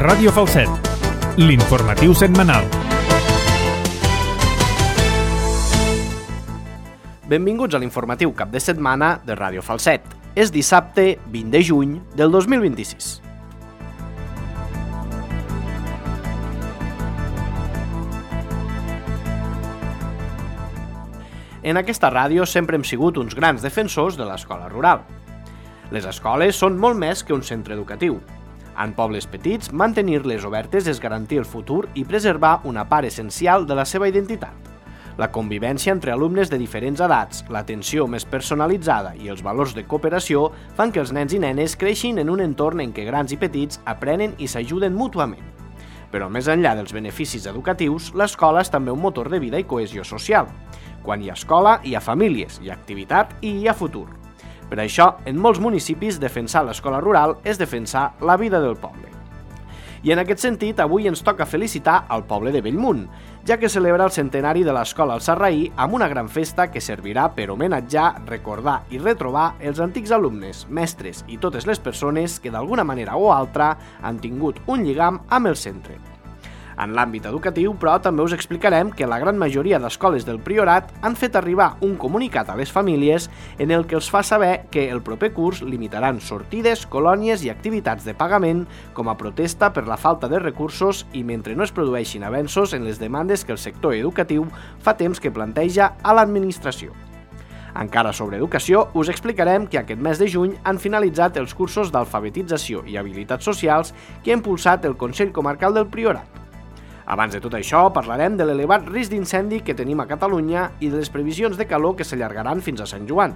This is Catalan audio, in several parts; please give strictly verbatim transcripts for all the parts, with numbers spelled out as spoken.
Ràdio Falset, l'informatiu setmanal. Benvinguts a l'informatiu cap de setmana de Ràdio Falset. És dissabte vint de juny del dos mil vint-i-sis. En aquesta ràdio sempre hem sigut uns grans defensors de l'escola rural. Les escoles són molt més que un centre educatiu. En pobles petits, mantenir-les obertes és garantir el futur i preservar una part essencial de la seva identitat. La convivència entre alumnes de diferents edats, l'atenció més personalitzada i els valors de cooperació fan que els nens i nenes creixin en un entorn en què grans i petits aprenen i s'ajuden mútuament. Però més enllà dels beneficis educatius, l'escola és també un motor de vida i cohesió social. Quan hi ha escola, hi ha famílies, hi ha activitat i hi ha futur. Per això, en molts municipis, defensar l'escola rural és defensar la vida del poble. I en aquest sentit, avui ens toca felicitar al poble de Bellmunt, ja que celebra el centenari de l'escola al Sarraí amb una gran festa que servirà per homenatjar, recordar i retrobar els antics alumnes, mestres i totes les persones que d'alguna manera o altra han tingut un lligam amb el centre. En l'àmbit educatiu, però, també us explicarem que la gran majoria d'escoles del Priorat han fet arribar un comunicat a les famílies en el que els fa saber que el proper curs limitaran sortides, colònies i activitats de pagament com a protesta per la falta de recursos i mentre no es produeixin avenços en les demandes que el sector educatiu fa temps que planteja a l'administració. Encara sobre educació, us explicarem que aquest mes de juny han finalitzat els cursos d'alfabetització i habilitats socials que ha impulsat el Consell Comarcal del Priorat. Abans de tot això, parlarem de l'elevat risc d'incendi que tenim a Catalunya i de les previsions de calor que s'allargaran fins a Sant Joan.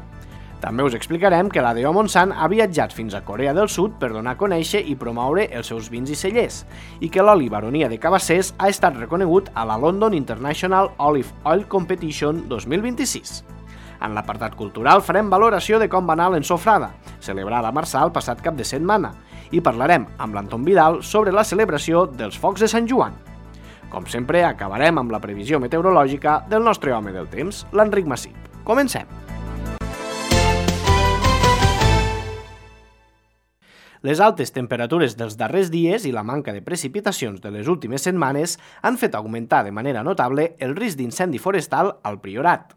També us explicarem que l'A D O Montsant ha viatjat fins a Corea del Sud per donar a conèixer i promoure els seus vins i cellers, i que l'oli Baronia de Cabassers ha estat reconegut a la London International Olive Oil Competition dos mil vint-i-sis. En l'apartat cultural farem valoració de com va anar l'ensofrada, celebrada a Marçà el passat cap de setmana, i parlarem amb l'Anton Vidal sobre la celebració dels Focs de Sant Joan. Com sempre, acabarem amb la previsió meteorològica del nostre home del temps, l'Enric Massip. Comencem! Les altes temperatures dels darrers dies i la manca de precipitacions de les últimes setmanes han fet augmentar de manera notable el risc d'incendi forestal al Priorat.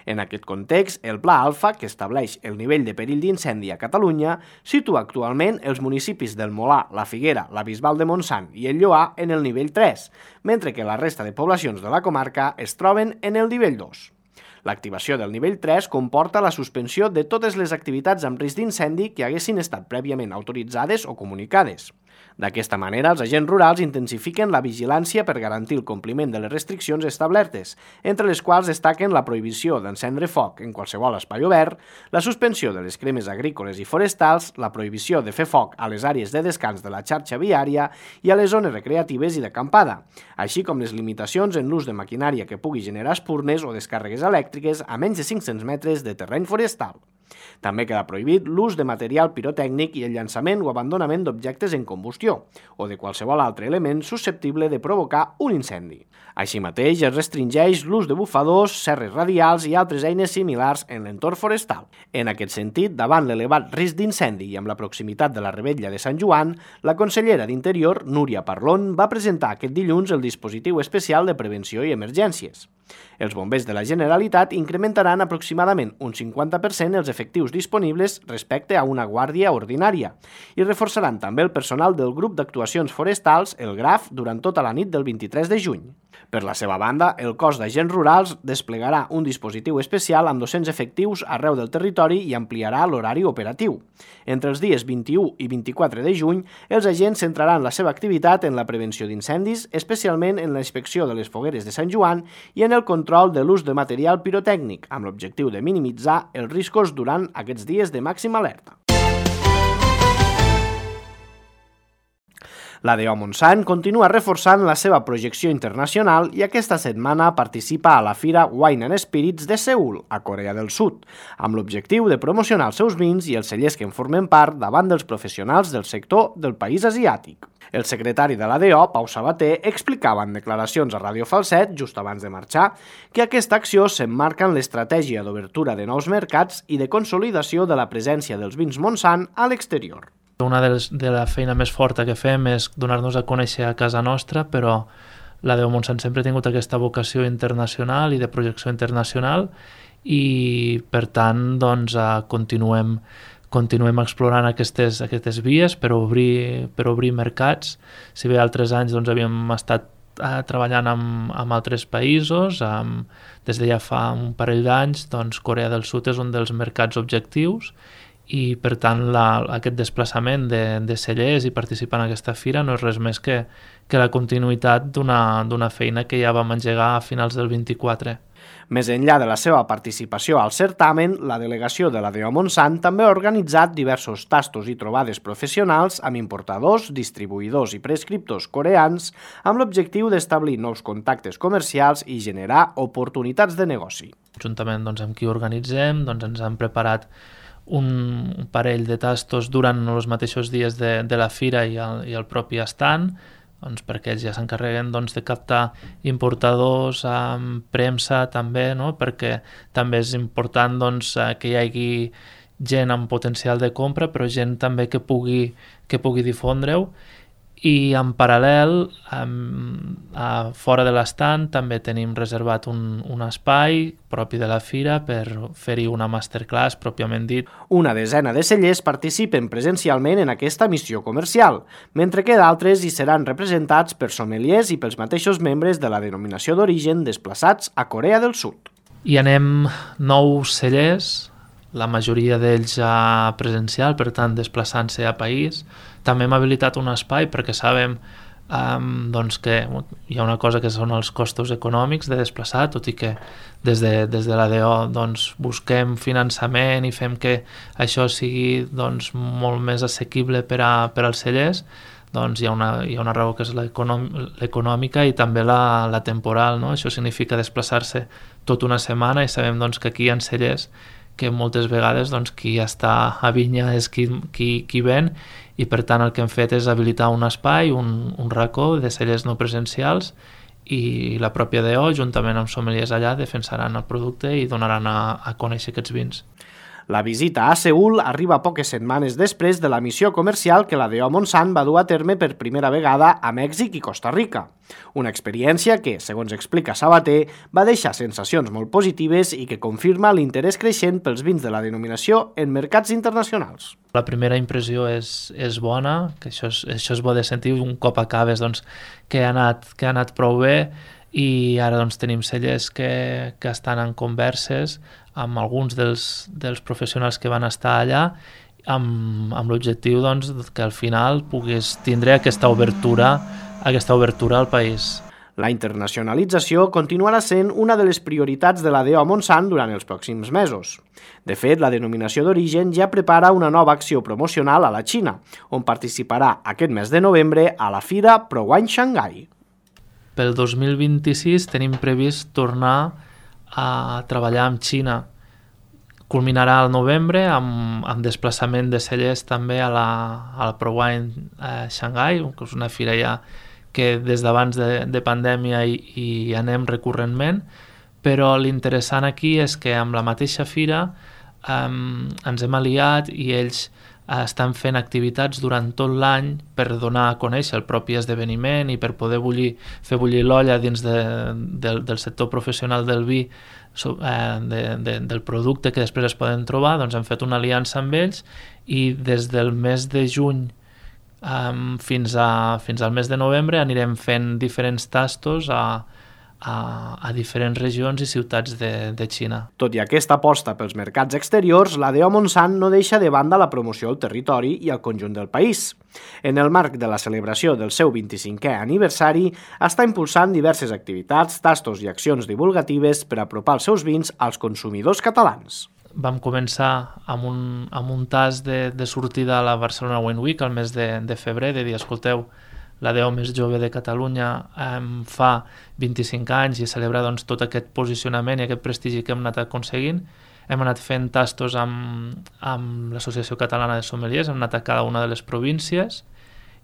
En aquest context, el Pla Alfa, que estableix el nivell de perill d'incendi a Catalunya, situa actualment els municipis del Molar, la Figuera, la Bisbal de Montsant i el Lloar en el nivell tres, mentre que la resta de poblacions de la comarca es troben en el nivell dos. L'activació del nivell tres comporta la suspensió de totes les activitats amb risc d'incendi que haguessin estat prèviament autoritzades o comunicades. D'aquesta manera, els agents rurals intensifiquen la vigilància per garantir el compliment de les restriccions establertes, entre les quals destaquen la prohibició d'encendre foc en qualsevol espai obert, la suspensió de les cremes agrícoles i forestals, la prohibició de fer foc a les àrees de descans de la xarxa viària i a les zones recreatives i d'acampada, així com les limitacions en l'ús de maquinària que pugui generar espurnes o descàrregues elèctriques a menys de cinc-cents metres de terreny forestal. També queda prohibit l'ús de material pirotècnic i el llançament o abandonament d'objectes en combustió o de qualsevol altre element susceptible de provocar un incendi. Així mateix, es restringeix l'ús de bufadors, serres radials i altres eines similars en l'entorn forestal. En aquest sentit, davant l'elevat risc d'incendi i amb la proximitat de la Revetlla de Sant Joan, la consellera d'Interior, Núria Parlon, va presentar aquest dilluns el dispositiu especial de prevenció i emergències. Els bombers de la Generalitat incrementaran aproximadament un cinquanta per cent els efectius disponibles respecte a una guàrdia ordinària i reforçaran també el personal del grup d'actuacions forestals, el GRAF, durant tota la nit del vint-i-tres de juny. Per la seva banda, el cos d'agents rurals desplegarà un dispositiu especial amb dos-cents efectius arreu del territori i ampliarà l'horari operatiu. Entre els dies vint-i-u i vint-i-quatre de juny, els agents centraran la seva activitat en la prevenció d'incendis, especialment en la inspecció de les fogueres de Sant Joan i en el control de l'ús de material pirotècnic, amb l'objectiu de minimitzar els riscos durant aquests dies de màxima alerta. L'A D O Montsant continua reforçant la seva projecció internacional i aquesta setmana participa a la fira Wine and Spirits de Seül, a Corea del Sud, amb l'objectiu de promocionar els seus vins i els cellers que en formen part davant dels professionals del sector del país asiàtic. El secretari de l'A D O, Pau Sabater, explicava en declaracions a Ràdio Falset, just abans de marxar, que aquesta acció s'emmarca en l'estratègia d'obertura de nous mercats i de consolidació de la presència dels vins Montsant a l'exterior. Una de, les, de la feina més forta que fem és donar-nos a conèixer a casa nostra, però la Deo Montsant sempre ha tingut aquesta vocació internacional i de projecció internacional i, per tant, doncs, continuem, continuem explorant aquestes, aquestes vies per obrir, per obrir mercats. Si bé altres anys doncs, havíem estat eh, treballant amb, amb altres països, amb, des de ja fa un parell d'anys, doncs, Corea del Sud és un dels mercats objectius i, per tant, la, aquest desplaçament de, de cellers i participar en aquesta fira no és res més que, que la continuïtat d'una, d'una feina que ja vam engegar a finals del vint-i-quatre. Més enllà de la seva participació al certamen, la delegació de la Deo Montsant també ha organitzat diversos tastos i trobades professionals amb importadors, distribuïdors i prescriptors coreans amb l'objectiu d'establir nous contactes comercials i generar oportunitats de negoci. Juntament doncs, amb qui organitzem, doncs, ens han preparat un parell de tastos durant els mateixos dies de, de la fira i el, i el propi estand, doncs, perquè ells ja s'encarreguen doncs, de captar importadors, amb premsa també, no? Perquè també és important doncs, que hi hagi gent amb potencial de compra, però gent també que pugui, que pugui difondre-ho. I en paral·lel, a fora de l'estand, també tenim reservat un, un espai propi de la fira per fer-hi una masterclass pròpiament dit. Una desena de cellers participen presencialment en aquesta missió comercial, mentre que d'altres hi seran representats per sommeliers i pels mateixos membres de la denominació d'origen desplaçats a Corea del Sud. Hi anem nou cellers, la majoria d'ells ja presencial, per tant desplaçant-se a país. També hem habilitat un espai perquè sabem um, doncs que hi ha una cosa que són els costos econòmics de desplaçar, tot i que des de, des de la D O doncs, busquem finançament i fem que això sigui doncs, molt més assequible per, a, per als cellers. Doncs hi ha una, hi ha una raó que és l'econòmica i també la, la temporal, no? Això significa desplaçar-se tota una setmana i sabem doncs, que aquí hi ha cellers que moltes vegades doncs, qui està a vinya és qui, qui, qui ven i per tant el que hem fet és habilitar un espai, un, un racó de cellers no presencials i la pròpia D O juntament amb sommeliers allà defensaran el producte i donaran a, a conèixer aquests vins. La visita a Seül arriba poques setmanes després de la missió comercial que la Deo Montsant va dur a terme per primera vegada a Mèxic i Costa Rica. Una experiència que, segons explica Sabater, va deixar sensacions molt positives i que confirma l'interès creixent pels vins de la denominació en mercats internacionals. La primera impressió és, és bona, que això és, això és bo de sentir, un cop acabes doncs, que, ha anat, que ha anat prou bé i ara doncs, tenim cellers que, que estan en converses amb alguns dels, dels professionals que van estar allà amb, amb l'objectiu doncs, que al final puguis tindre aquesta obertura, aquesta obertura al país. La internacionalització continuarà sent una de les prioritats de la Deo Montsant durant els pròxims mesos. De fet, la denominació d'origen ja prepara una nova acció promocional a la Xina, on participarà aquest mes de novembre a la fira ProWine Shanghai. Pel dos mil vint-i-sis tenim previst tornar a treballar amb Xina. Culminarà al novembre amb, amb desplaçament de cellers també a la, a la ProWine eh, Shanghai, que és una fira ja que des d'abans de, de pandèmia hi, hi anem recurrentment, però l'interessant aquí és que amb la mateixa fira eh, ens hem aliat i ells estan fent activitats durant tot l'any per donar a conèixer el propi esdeveniment i per poder bullir, fer bullir l'olla dins de, de, del sector professional del vi, eh, de, de, del producte que després es poden trobar. Doncs hem fet una aliança amb ells i des del mes de juny um, fins, a, fins al mes de novembre anirem fent diferents tastos a A, a diferents regions i ciutats de, de Xina. Tot i aquesta aposta pels mercats exteriors, la Deo Montsant no deixa de banda la promoció al territori i al conjunt del país. En el marc de la celebració del seu vint-i-cinquè aniversari, està impulsant diverses activitats, tastos i accions divulgatives per apropar els seus vins als consumidors catalans. Vam començar amb un, amb un tast de, de sortida a la Barcelona Wine Week al mes de, de febrer, de dir, escolteu, la D O més jove de Catalunya eh, fa vint-i-cinc anys i celebra doncs, tot aquest posicionament i aquest prestigi que hem anat aconseguint. Hem anat fent tastos amb, amb l'Associació Catalana de Sommeliers, hem anat a cada una de les províncies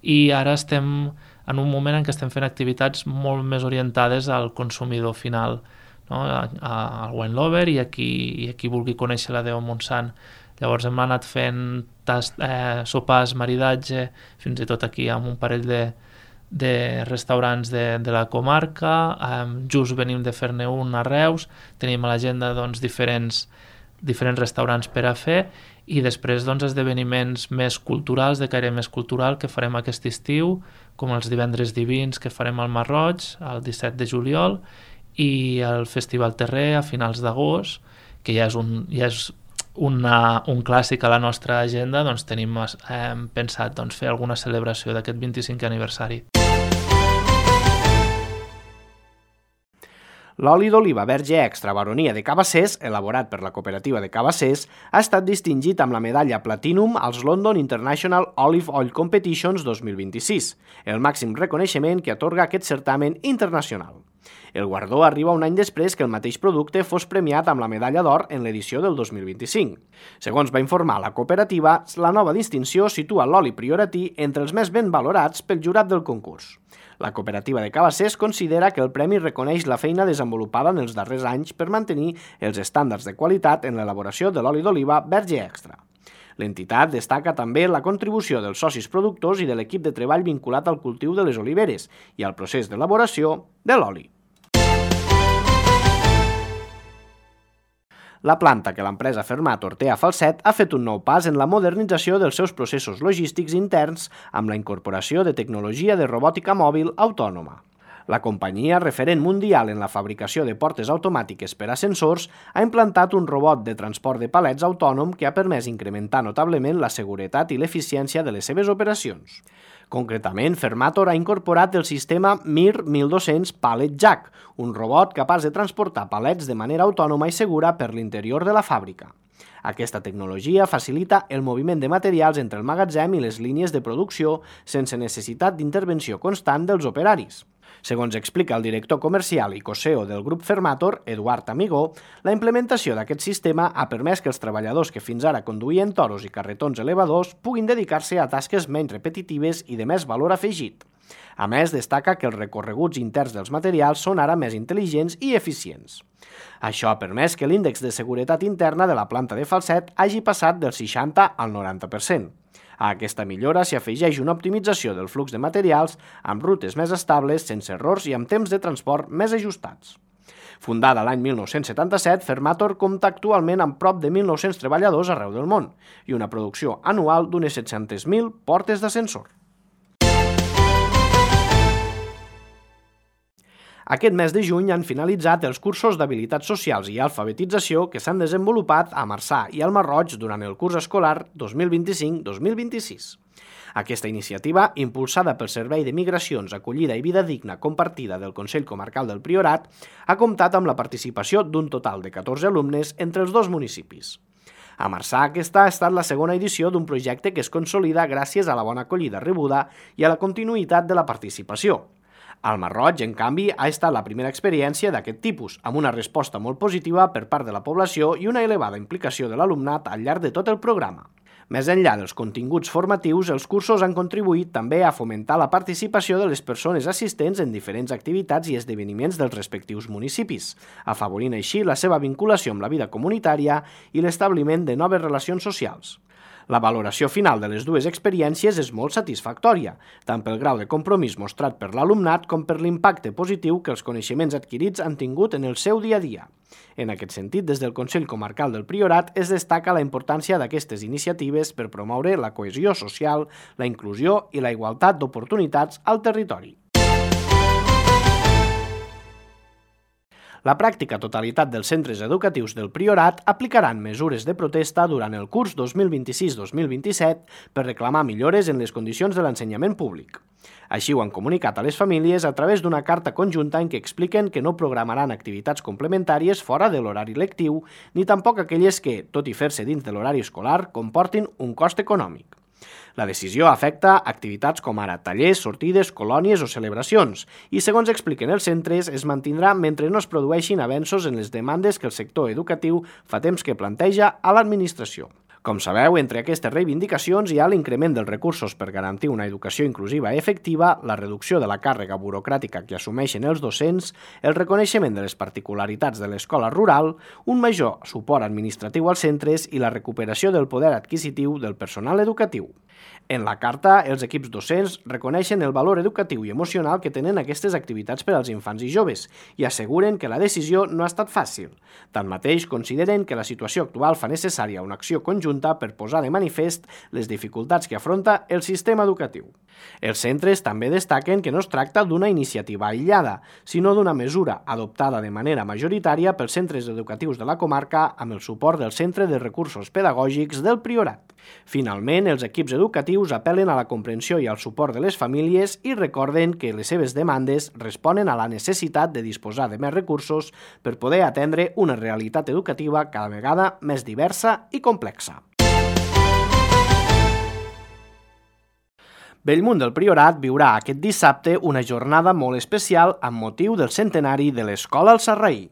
i ara estem en un moment en què estem fent activitats molt més orientades al consumidor final. no? a, a, al Wine Lover i a qui, i a qui vulgui conèixer la Déu Montsant. Llavors hem anat fent tast, eh, sopars, maridatge, fins i tot aquí amb un parell de, de restaurants de, de la comarca. Eh, just venim de fer-ne un a Reus, tenim a l'agenda doncs, diferents, diferents restaurants per a fer i després doncs, esdeveniments més culturals, de caire més cultural, que farem aquest estiu, com els divendres divins que farem al Marroig el disset de juliol i el Festival Terrer a finals d'agost, que ja és un... Ja és Una, un clàssic a la nostra agenda, doncs tenim eh, pensat doncs, fer alguna celebració d'aquest vint-i-cinquè aniversari. L'oli d'oliva verge extra baronia de Cabassers, elaborat per la cooperativa de Cabassers, ha estat distingit amb la medalla Platinum als London International Olive Oil Competitions dos mil vint-i-sis, el màxim reconeixement que atorga aquest certamen internacional. El guardó arriba un any després que el mateix producte fos premiat amb la medalla d'or en l'edició del dos mil vint-i-cinc. Segons va informar la cooperativa, la nova distinció situa l'oli prioratí entre els més ben valorats pel jurat del concurs. La cooperativa de Cabassers considera que el premi reconeix la feina desenvolupada en els darrers anys per mantenir els estàndards de qualitat en l'elaboració de l'oli d'oliva verge extra. L'entitat destaca també la contribució dels socis productors i de l'equip de treball vinculat al cultiu de les oliveres i al procés d'elaboració de l'oli. La planta que l'empresa Fermator té a Falset ha fet un nou pas en la modernització dels seus processos logístics interns amb la incorporació de tecnologia de robòtica mòbil autònoma. La companyia, referent mundial en la fabricació de portes automàtiques per a ascensors, ha implantat un robot de transport de palets autònom que ha permès incrementar notablement la seguretat i l'eficiència de les seves operacions. Concretament, Fermator ha incorporat el sistema M I R mil dos-cents Pallet Jack, un robot capaç de transportar palets de manera autònoma i segura per l'interior de la fàbrica. Aquesta tecnologia facilita el moviment de materials entre el magatzem i les línies de producció sense necessitat d'intervenció constant dels operaris. Segons explica el director comercial i co-C E O del grup Fermator, Eduard Amigó, la implementació d'aquest sistema ha permès que els treballadors que fins ara conduïen toros i carretons elevadors puguin dedicar-se a tasques menys repetitives i de més valor afegit. A més, destaca que els recorreguts interns dels materials són ara més intel·ligents i eficients. Això ha permès que l'índex de seguretat interna de la planta de Falset hagi passat del seixanta al noranta per cent. A aquesta millora s'hi afegeix una optimització del flux de materials amb rutes més estables, sense errors i amb temps de transport més ajustats. Fundada l'any mil nou-cents setanta-set, Fermator compta actualment amb prop de mil nou-cents treballadors arreu del món i una producció anual d'unes set-centes mil portes d'ascensor. Aquest mes de juny han finalitzat els cursos d'habilitats socials i alfabetització que s'han desenvolupat a Marçà i al Marroig durant el curs escolar dos mil vint-i-cinc dos mil vint-i-sis. Aquesta iniciativa, impulsada pel Servei de Migracions, Acollida i Vida Digna Compartida del Consell Comarcal del Priorat, ha comptat amb la participació d'un total de catorze alumnes entre els dos municipis. A Marçà, aquesta ha estat la segona edició d'un projecte que es consolida gràcies a la bona acollida rebuda i a la continuïtat de la participació. Al Marroig, en canvi, ha estat la primera experiència d'aquest tipus, amb una resposta molt positiva per part de la població i una elevada implicació de l'alumnat al llarg de tot el programa. Més enllà dels continguts formatius, els cursos han contribuït també a fomentar la participació de les persones assistents en diferents activitats i esdeveniments dels respectius municipis, afavorint així la seva vinculació amb la vida comunitària i l'establiment de noves relacions socials. La valoració final de les dues experiències és molt satisfactòria, tant pel grau de compromís mostrat per l'alumnat com per l'impacte positiu que els coneixements adquirits han tingut en el seu dia a dia. En aquest sentit, des del Consell Comarcal del Priorat es destaca la importància d'aquestes iniciatives per promoure la cohesió social, la inclusió i la igualtat d'oportunitats al territori. La pràctica totalitat dels centres educatius del Priorat aplicaran mesures de protesta durant el curs dos mil vint-i-sis dos mil vint-i-set per reclamar millores en les condicions de l'ensenyament públic. Així ho han comunicat a les famílies a través d'una carta conjunta en què expliquen que no programaran activitats complementàries fora de l'horari lectiu, ni tampoc aquelles que, tot i fer-se dins de l'horari escolar, comportin un cost econòmic. La decisió afecta activitats com ara tallers, sortides, colònies o celebracions i, segons expliquen els centres, es mantindrà mentre no es produeixin avenços en les demandes que el sector educatiu fa temps que planteja a l'administració. Com sabeu, entre aquestes reivindicacions hi ha l'increment dels recursos per garantir una educació inclusiva i efectiva, la reducció de la càrrega burocràtica que assumeixen els docents, el reconeixement de les particularitats de l'escola rural, un major suport administratiu als centres i la recuperació del poder adquisitiu del personal educatiu. En la carta, els equips docents reconeixen el valor educatiu i emocional que tenen aquestes activitats per als infants i joves i asseguren que la decisió no ha estat fàcil. Tanmateix, consideren que la situació actual fa necessària una acció conjunta per posar de manifest les dificultats que afronta el sistema educatiu. Els centres també destaquen que no es tracta d'una iniciativa aïllada, sinó d'una mesura adoptada de manera majoritària pels centres educatius de la comarca amb el suport del Centre de Recursos Pedagògics del Priorat. Finalment, els equips educatius apel·len a la comprensió i al suport de les famílies i recorden que les seves demandes responen a la necessitat de disposar de més recursos per poder atendre una realitat educativa cada vegada més diversa i complexa. Bellmunt del Priorat viurà aquest dissabte una jornada molt especial amb motiu del centenari de l'Escola al Sarraí.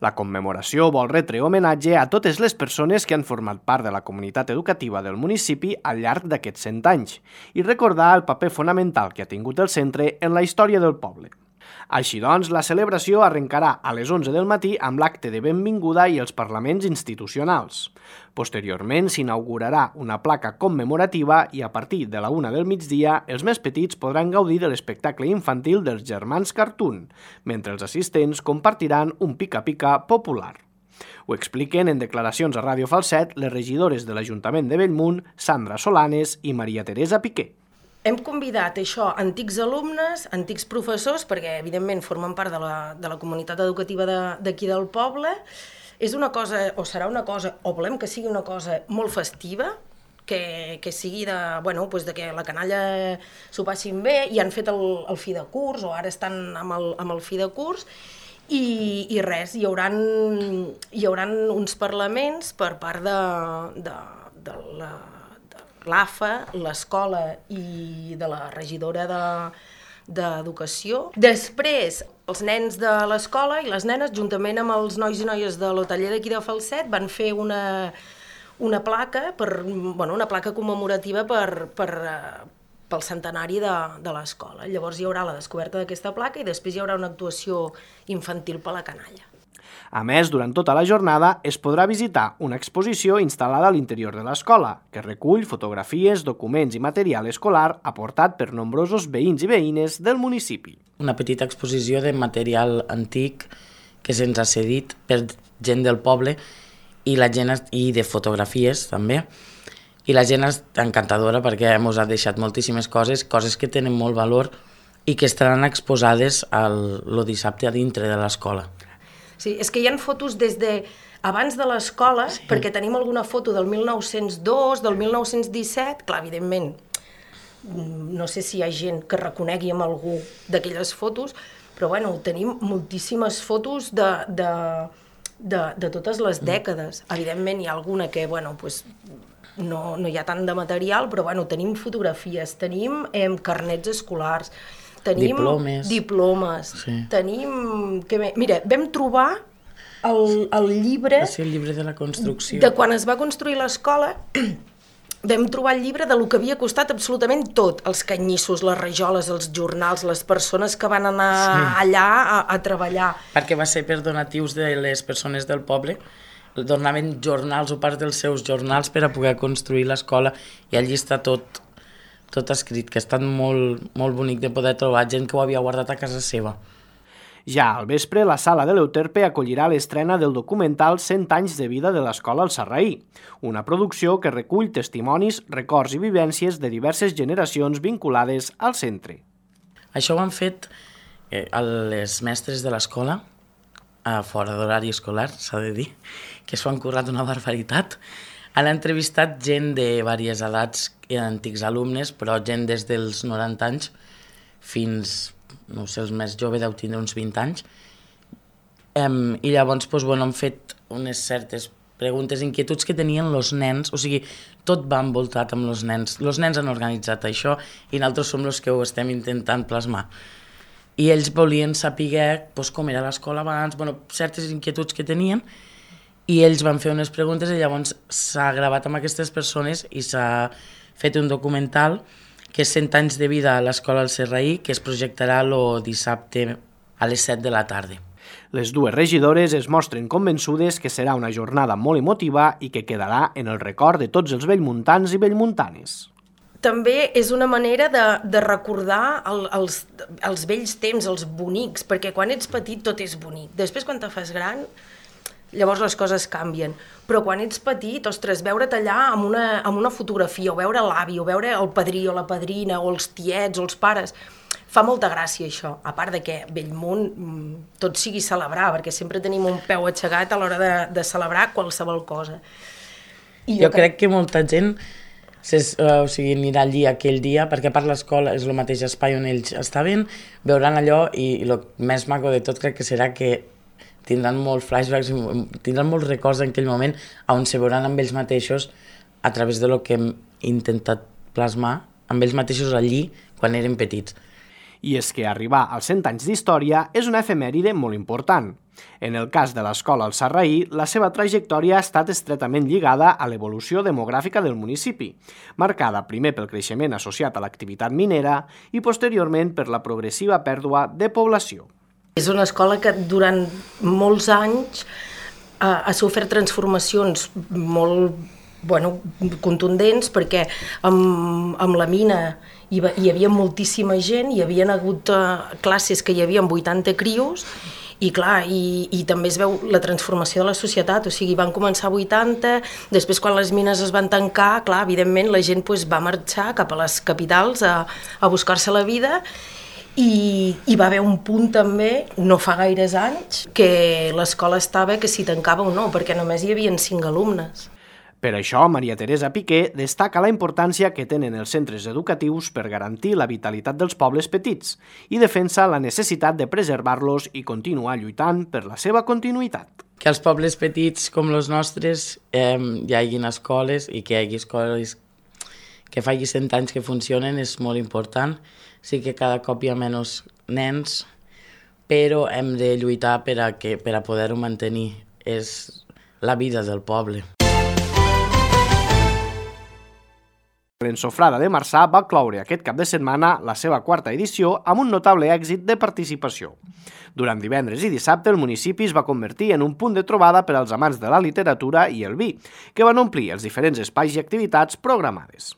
La commemoració vol retre homenatge a totes les persones que han format part de la comunitat educativa del municipi al llarg d'aquests cent anys i recordar el paper fonamental que ha tingut el centre en la història del poble. Així doncs, la celebració arrencarà a les onze del matí amb l'acte de benvinguda i els parlaments institucionals. Posteriorment s'inaugurarà una placa commemorativa i a partir de la una del migdia els més petits podran gaudir de l'espectacle infantil dels germans Cartoon, mentre els assistents compartiran un pica-pica popular. Ho expliquen en declaracions a Ràdio Falset les regidores de l'Ajuntament de Bellmunt, Sandra Solanes i Maria Teresa Piqué. Hem convidat això antics alumnes, antics professors, perquè evidentment formen part de la, de la comunitat educativa d'aquí de, del poble. És una cosa, o serà una cosa, o volem que sigui una cosa molt festiva, que, que sigui de, bueno, pues de que la canalla s'ho passin bé, i han fet el, el fi de curs, o ara estan amb el, amb el fi de curs, i, i res, hi haurà, hi haurà uns parlaments per part de, de, de la... l'A F A, l'escola i de la regidora d'Educació. De, Després, els nens de l'escola i les nenes, juntament amb els nois i noies de l'hoteller d'aquí de Falset, van fer una, una placa, per, bueno, una placa commemorativa per, per, pel centenari de, de l'escola. Llavors hi haurà la descoberta d'aquesta placa i després hi haurà una actuació infantil per la canalla. A més, durant tota la jornada es podrà visitar una exposició instal·lada a l'interior de l'escola, que recull fotografies, documents i material escolar aportat per nombrosos veïns i veïnes del municipi. Una petita exposició de material antic que se'ns ha cedit per gent del poble i la gent i de fotografies també. I la gent és encantadora perquè ens ha deixat moltíssimes coses, coses que tenen molt valor i que estaran exposades el, el dissabte a dintre de l'escola. Sí, és que hi ha fotos des de abans de l'escola, sí. Perquè tenim alguna foto del mil nou-cents dos, del mil nou-cents disset, clar, evidentment, no sé si hi ha gent que reconegui amb algú d'aquelles fotos, però bueno, tenim moltíssimes fotos de, de, de, de totes les dècades. Evidentment hi ha alguna que, bueno, pues, no, no hi ha tant de material, però bueno, tenim fotografies, tenim eh, carnets escolars, tenim diplomes, diplomes sí. Tenim... Que, mira, vam trobar el, el llibre... Sí, el llibre de la construcció. De quan es va construir l'escola, vam trobar el llibre de lo que havia costat absolutament tot, els canyissos, les rajoles, els jornals, les persones que van anar sí. allà a, a treballar. Perquè va ser per donatius de les persones del poble, donaven jornals o part dels seus jornals per a poder construir l'escola i allí està tot... tot escrit, que ha estat molt, molt bonic de poder trobar gent que ho havia guardat a casa seva. Ja al vespre, la sala de l'Euterpe acollirà l'estrena del documental cent anys de vida de l'escola al Sarraí, una producció que recull testimonis, records i vivències de diverses generacions vinculades al centre. Això ho han fet eh, les mestres de l'escola, a fora d'horari escolar, s'ha de dir, que s'ho han currat una barbaritat. Han entrevistat gent de diverses edats, antics alumnes, però gent des dels noranta anys fins, no sé, els més joves deu tindre uns vint anys. Um, I llavors doncs, bueno, han fet unes certes preguntes, inquietuds que tenien els nens, o sigui, tot va envoltat amb els nens. Els nens han organitzat això i nosaltres som els que ho estem intentant plasmar. I ells volien saber doncs, com era l'escola abans, bueno, certes inquietuds que tenien, i ells van fer unes preguntes i llavors s'ha gravat amb aquestes persones i s'ha fet un documental que és cent anys de vida a l'Escola al Serraí, que es projectarà el dissabte a les set de la tarda. Les dues regidores es mostren convençudes que serà una jornada molt emotiva i que quedarà en el record de tots els bellmuntans i bellmuntanes. També és una manera de, de recordar el, els, els vells temps, els bonics, perquè quan ets petit tot és bonic. Després, quan te fas gran, llavors les coses canvien. Però quan ets petit, ostres, veure't allà amb una, amb una fotografia, o veure l'avi, o veure el padrí o la padrina, o els tiets, o els pares, fa molta gràcia això. A part de que Bellmunt tot sigui celebrar, perquè sempre tenim un peu aixecat a l'hora de, de celebrar qualsevol cosa. I jo, jo crec que molta gent Ses, uh, o sigui, anirà allí aquell dia, perquè a part l'escola és el mateix espai on ells estaven, veuran allò i, i el més maco de tot crec que serà que tindran molts flashbacks, tindran molts records en aquell moment on se veuran amb ells mateixos a través de lo que hem intentat plasmar amb ells mateixos allí quan eren petits. I és que arribar als cent anys d'història és una efemèride molt important. En el cas de l'Escola al Serraí, la seva trajectòria ha estat estretament lligada a l'evolució demogràfica del municipi, marcada primer pel creixement associat a l'activitat minera i posteriorment per la progressiva pèrdua de població. És una escola que durant molts anys ha, ha sofert transformacions molt bueno, contundents, perquè amb, amb la mina hi, va, hi havia moltíssima gent, hi havia hagut uh, classes que hi havia vuitanta crios, i clar, i, i també es veu la transformació de la societat, o sigui, van començar a vuitanta, després quan les mines es van tancar, clar, evidentment la gent pues, va marxar cap a les capitals a, a buscar-se la vida, i hi va haver un punt també, no fa gaires anys, que l'escola estava que si tancava o no, perquè només hi havia cinc alumnes. Per això, Maria Teresa Piqué destaca la importància que tenen els centres educatius per garantir la vitalitat dels pobles petits i defensa la necessitat de preservar-los i continuar lluitant per la seva continuïtat. Que als pobles petits com els nostres eh, hi hagi escoles i que hi hagi escoles que faci cent anys que funcionen és molt important. Sí que cada cop hi ha menys nens, però hem de lluitar per a, que, per a poder-ho mantenir. És la vida del poble. L'Ensofrada de Marçà va cloure aquest cap de setmana la seva quarta edició amb un notable èxit de participació. Durant divendres i dissabte el municipi es va convertir en un punt de trobada per als amants de la literatura i el vi, que van omplir els diferents espais i activitats programades.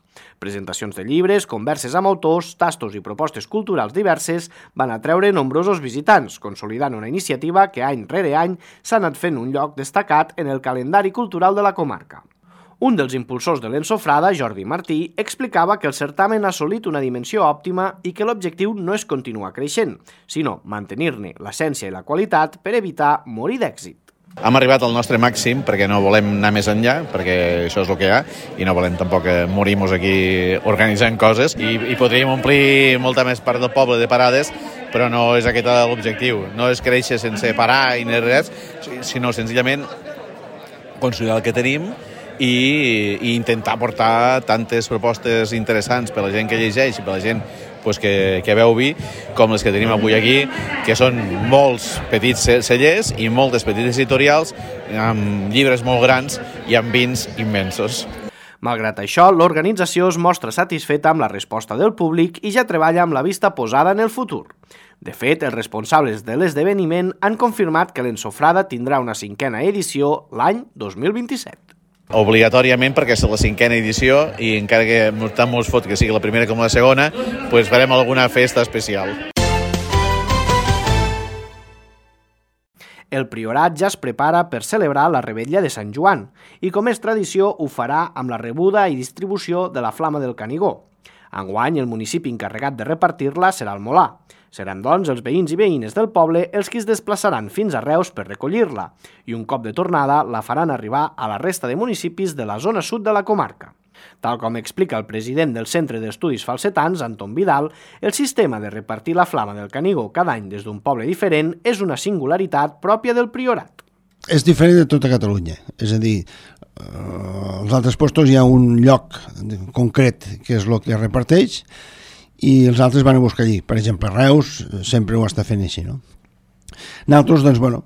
Presentacions de llibres, converses amb autors, tastos i propostes culturals diverses van atreure nombrosos visitants, consolidant una iniciativa que any rere any s'ha anat fent un lloc destacat en el calendari cultural de la comarca. Un dels impulsors de l'Ensofrada, Jordi Martí, explicava que el certamen ha assolit una dimensió òptima i que l'objectiu no és continuar creixent, sinó mantenir-ne l'essència i la qualitat per evitar morir d'èxit. Hem arribat al nostre màxim perquè no volem anar més enllà, perquè això és el que hi ha, i no volem tampoc morir-nos aquí organitzant coses, i, i podríem omplir molta més part del poble de parades, però no és aquest l'objectiu. No és créixer sense parar i res, sinó senzillament consolidar el que tenim i, i intentar portar tantes propostes interessants per a la gent que llegeix i per a la gent pues, que, que veu vi, com les que tenim avui aquí, que són molts petits cellers i moltes petites editorials amb llibres molt grans i amb vins immensos. Malgrat això, l'organització es mostra satisfeta amb la resposta del públic i ja treballa amb la vista posada en el futur. De fet, els responsables de l'esdeveniment han confirmat que l'Ensofrada tindrà una cinquena edició l'any dos mil vint-i-set. Obligatòriament, perquè és la cinquena edició i encara que tant mos fot que sigui la primera com la segona, pues farem alguna festa especial. El Priorat ja es prepara per celebrar la Revetlla de Sant Joan i, com és tradició, ho farà amb la rebuda i distribució de la Flama del Canigó. Enguany, el municipi encarregat de repartir-la serà el Molà. Seran, doncs, els veïns i veïnes del poble els qui es desplaçaran fins a Reus per recollir-la i un cop de tornada la faran arribar a la resta de municipis de la zona sud de la comarca. Tal com explica el president del Centre d'Estudis Falsetans, Anton Vidal, el sistema de repartir la Flama del Canigó cada any des d'un poble diferent és una singularitat pròpia del Priorat. És diferent de tota Catalunya, és a dir, als altres llocs hi ha un lloc concret que és el que reparteix i els altres van a buscar allí. Per exemple, Reus sempre ho està fent així, no? Nosaltres, doncs, bueno,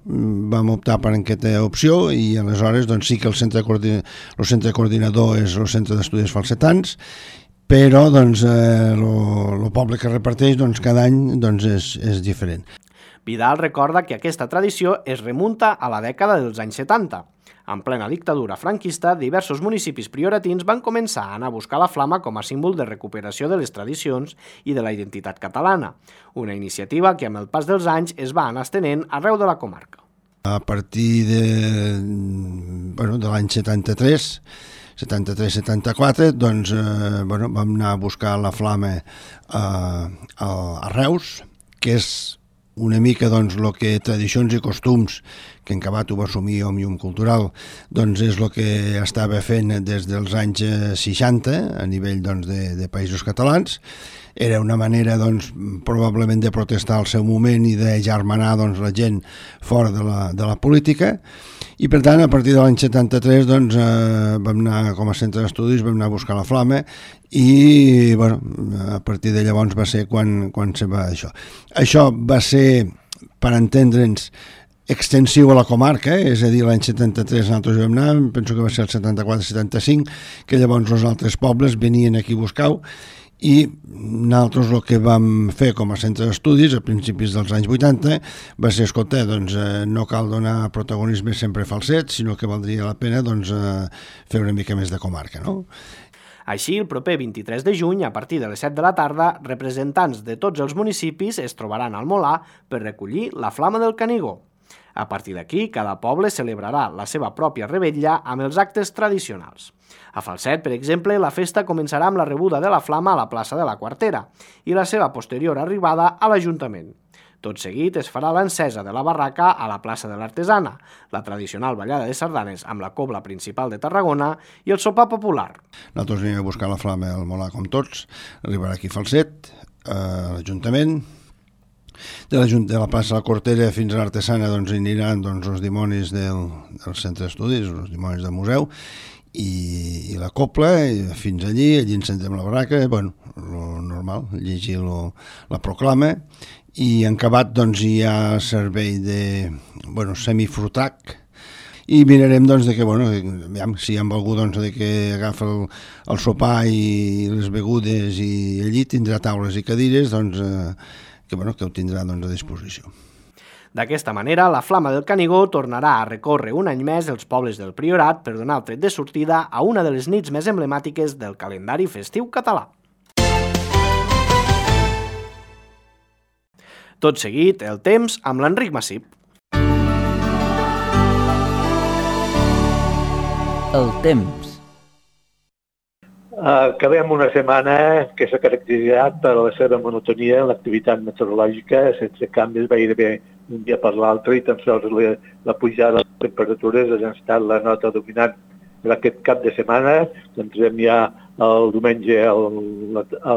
vam optar per aquesta opció i aleshores doncs, sí que el centre, coordina, el centre coordinador és el Centre d'Estudis Falsetans, però doncs, eh, el poble que reparteix doncs, cada any doncs, és, és diferent. Vidal recorda que aquesta tradició es remunta a la dècada dels anys setanta. En plena dictadura franquista, diversos municipis prioratins van començar a anar a buscar la flama com a símbol de recuperació de les tradicions i de la identitat catalana, una iniciativa que amb el pas dels anys es va anar estenent arreu de la comarca. A partir de, bueno, de l'any setanta-tres, setanta-tres setanta-quatre, doncs, eh, bueno, vam anar a buscar la flama a, a, a Reus, que és una mica doncs, el que tradicions i costums que en Cabat ho va assumir Òmnium Cultural, doncs és el que estava fent des dels anys seixanta a nivell doncs, de, de països catalans. Era una manera doncs, probablement de protestar al seu moment i de germanar doncs, la gent fora de la, de la política. I per tant, a partir de l'any setanta-tres doncs, eh, vam anar com a centre d'estudis, vam anar a buscar la flama i bueno, a partir de llavors va ser quan, quan se va això. Això va ser, per entendre'ns, extensiu a la comarca, eh? És a dir, l'any setanta-tres nosaltres vam anar, penso que va ser el setanta-quatre setanta-cinc, que llavors els altres pobles venien aquí a buscar-ho, i nosaltres el que vam fer com a centre d'estudis a principis dels anys vuitanta va ser, escolta, doncs, eh, no cal donar protagonisme sempre a falsets, sinó que valdria la pena doncs, eh, fer una mica més de comarca, no? Així, el proper vint-i-tres de juny, a partir de les set de la tarda, representants de tots els municipis es trobaran al Molar per recollir la flama del Canigó. A partir d'aquí, cada poble celebrarà la seva pròpia revetlla amb els actes tradicionals. A Falset, per exemple, la festa començarà amb la rebuda de la flama a la plaça de la Quartera i la seva posterior arribada a l'Ajuntament. Tot seguit es farà l'encesa de la barraca a la plaça de l'Artesana, la tradicional ballada de sardanes amb la cobla principal de Tarragona i el sopar popular. Nosaltres anem a buscar la flama al Molar com tots, arribarà aquí a Falset, a l'Ajuntament. De la, de la plaça de la Quartera fins a l'Artesana doncs, aniran doncs, els dimonis del, del centre d'estudis, els dimonis del museu, i, i la copla, i fins allí, allí encendrem la barraca, bueno, lo normal, llegir lo, la proclama, i en Cabat doncs, hi ha servei de bueno, semifrutac, i mirarem doncs, de que, bueno, si hi ha algú doncs, de que agafa el, el sopar i les begudes i allí tindrà taules i cadires, doncs, eh, que, bueno, que ho tindrà doncs, a disposició. D'aquesta manera, la flama del Canigó tornarà a recórrer un any més els pobles del Priorat per donar el tret de sortida a una de les nits més emblemàtiques del calendari festiu català. Tot seguit, el temps amb l'Enric Massip. El temps. Acabem una setmana que s'ha caracteritzat per la seva monotonia en l'activitat meteorològica, sense canvis gairebé d'un dia per l'altre, i tan sols la, la pujada de les temperatures ha estat la nota dominant per aquest cap de setmana. Entrem ja el diumenge a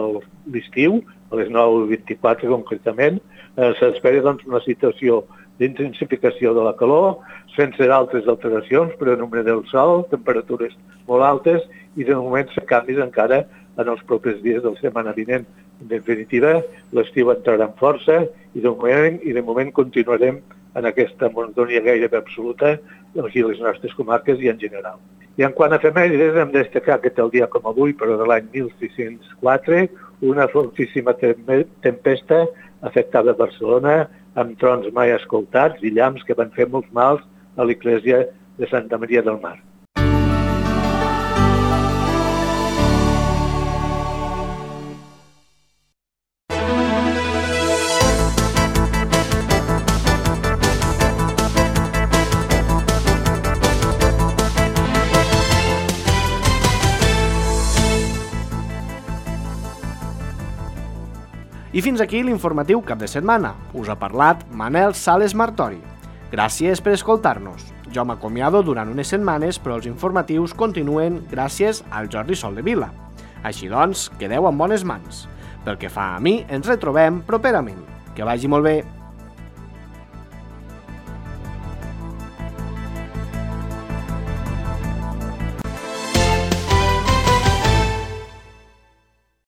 l'estiu, a les nou vint-i-quatre concretament. Eh, S'espera doncs, una situació d'intensificació de la calor, sense altres alteracions, però en nombre del sol, temperatures molt altes, i de moment se canvis encara en els propers dies de la setmana vinent. En definitiva, l'estiu entrarà en força i de moment, i de moment continuarem en aquesta monotonia gairebé absoluta aquí a les nostres comarques i en general. I en quant a efemèrides, hem de destacar que tal dia com avui, però de l'any mil sis-cents quatre, una fortíssima tempesta afectava Barcelona amb trons mai escoltats i llamps que van fer molts mals a l'església de Santa Maria del Mar. I fins aquí l'informatiu cap de setmana. Us ha parlat Manel Sales Martori. Gràcies per escoltar-nos. Jo m'acomiado durant unes setmanes, però els informatius continuen gràcies al Jordi Soldevila. Així doncs, quedeu en bones mans. Pel que fa a mi, ens retrobem properament. Que vagi molt bé.